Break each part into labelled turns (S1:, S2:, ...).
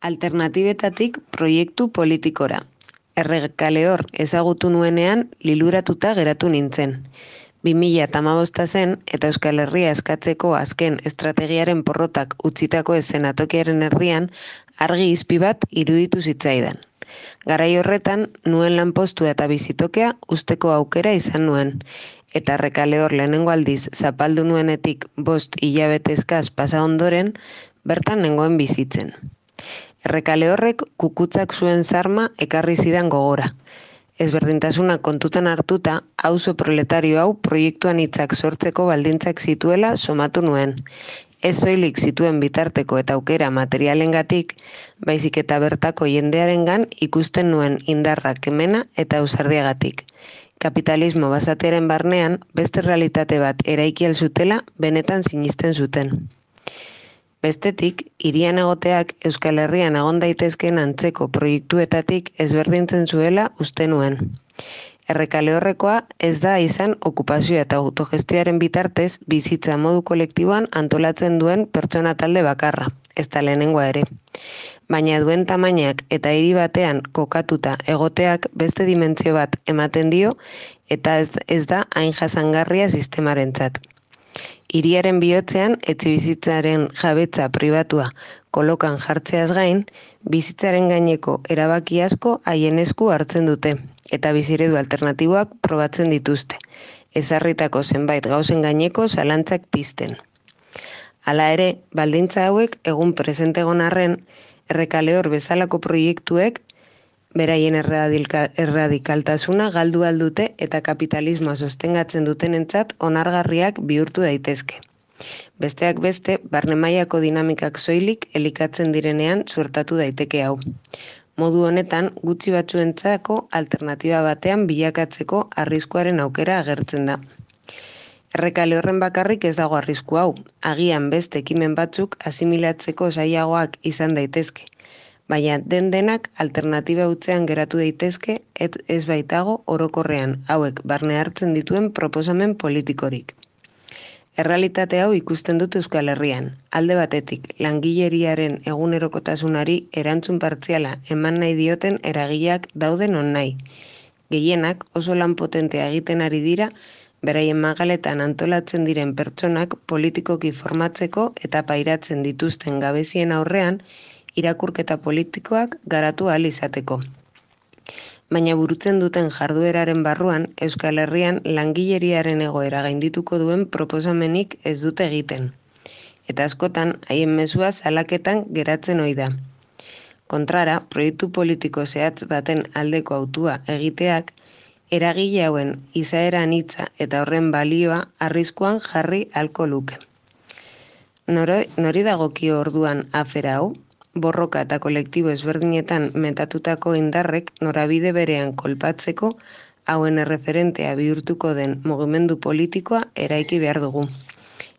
S1: Alternatibetatik proiektu politikora. Errekalehor ezagutu nuenean liluratuta geratu nintzen. 2015 zen eta Euskal Herria eskatzeko azken estrategiaren porrotak utzitako eszenatokiaren erdian argi izpi bat iruditu zitzaidan. Garai horretan nuen lanpostua eta bizitokea uzteko aukera izan nuen. Eta Errekalehor lehenengo aldiz zapaldu nuenetik 5 hilabete eskas pasa ondoren, bertan nengoen bizitzen. Errekalehorrek kukutzak zuen zarma ekarri zidan gogora. Ezberdintasuna kontutan hartuta, auzo proletario hau proiektuan hitzak sortzeko baldintzak zituela somatu nuen. Ez soilik zituen bitarteko eta aukera materialengatik, baizik eta bertako jendearengan ikusten nuen indarra, kemena eta ausardiagatik. Kapitalismo basatearen barnean beste realitate bat eraiki ahal zutela benetan sinisten zuten. Bestetik, hirian egoteak Euskal Herrian egon daitezkeen antzeko proiektuetatik ezberdintzen zuela uste nuen. Errekalehorrekoa ez da izan okupazioa eta autogestioaren bitartez bizitza modu kolektiboan antolatzen duen pertsona talde bakarra, ez da lehenengoa ere. Baina duen tamainak eta hiri batean kokatuta egoteak beste dimentsio bat ematen dio eta ez da hain jasangarria sistemarentzat. Hiriaren bihotzean etxebizitzaren jabetza pribatua kolokan jartzeaz gain, bizitzaren gaineko erabaki asko haien esku hartzen dute eta biziredu alternatiboak probatzen dituzte, ezarritako zenbait gauzen gaineko zalantzak pizten. Hala ere, baldintza hauek egun presente egon arren, Errekalehor bezalako proiektuek beraien erradikaltasuna galdu aldute eta kapitalismoa sostengatzen dutenentzat onargarriak bihurtu daitezke. Besteak beste, barne mailako dinamikak soilik elikatzen direnean suertatu daiteke hau. Modu honetan, gutxi batzuentzako alternatiba batean bilakatzeko arriskuaren aukera agertzen da. Errekalehorren bakarrik ez dago arrisku hau, agian beste ekimen batzuk asimilatzeko zailagoak izan daitezke. Baina denak alternatiba hutsean geratu daitezke ez baitago orokorrean hauek barne hartzen dituen proposamen politikorik. Errealitate hau ikusten dut Euskal Herrian. Alde batetik, langileriaren egunerokotasunari erantzun partziala eman nahi dioten eragileak dauden nonahi. Gehienak oso lan potentea egiten ari dira, beraien magaletan antolatzen diren pertsonak politikoki formatzeko eta pairatzen dituzten gabezien aurrean irakurketa politikoak garatu ahal izateko. Baina burutzen duten jardueraren barruan, Euskal Herrian langileriaren egoera gaindituko duen proposamenik ez dute egiten. Eta askotan, haien mezua salaketan geratzen ohi da. Kontrara, proiektu politiko zehatz baten aldeko hautua egiteak, eragile hauen izaera anitza eta horren balioa arriskuan jarri ahalko luke. Nori dagokio orduan afera hau? Borroka eta kolektibo ezberdinetan metatutako indarrek norabide berean kolpatzeko hauen erreferentea bihurtuko den mugimendu politikoa eraiki behar dugu.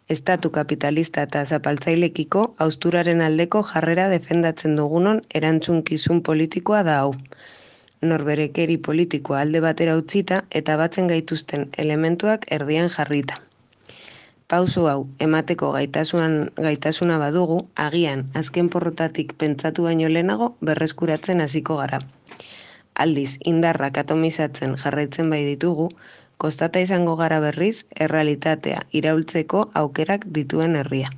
S1: Estatu kapitalista eta zapaltzailekiko hausturaren aldeko jarrera defendatzen dugunon erantzunkizun politikoa da hau. Norberekeri politikoa alde batera utzita eta batzen gaituzten elementuak erdian jarrita. Pauso hau emateko gaitasuna badugu, agian azken porrotatik pentsatu baino lehenago berreskuratzen hasiko gara. Aldiz, indarrak atomizatzen jarraitzen bai ditugu, kostata izango gara berriz errealitatea iraultzeko aukerak dituen herria.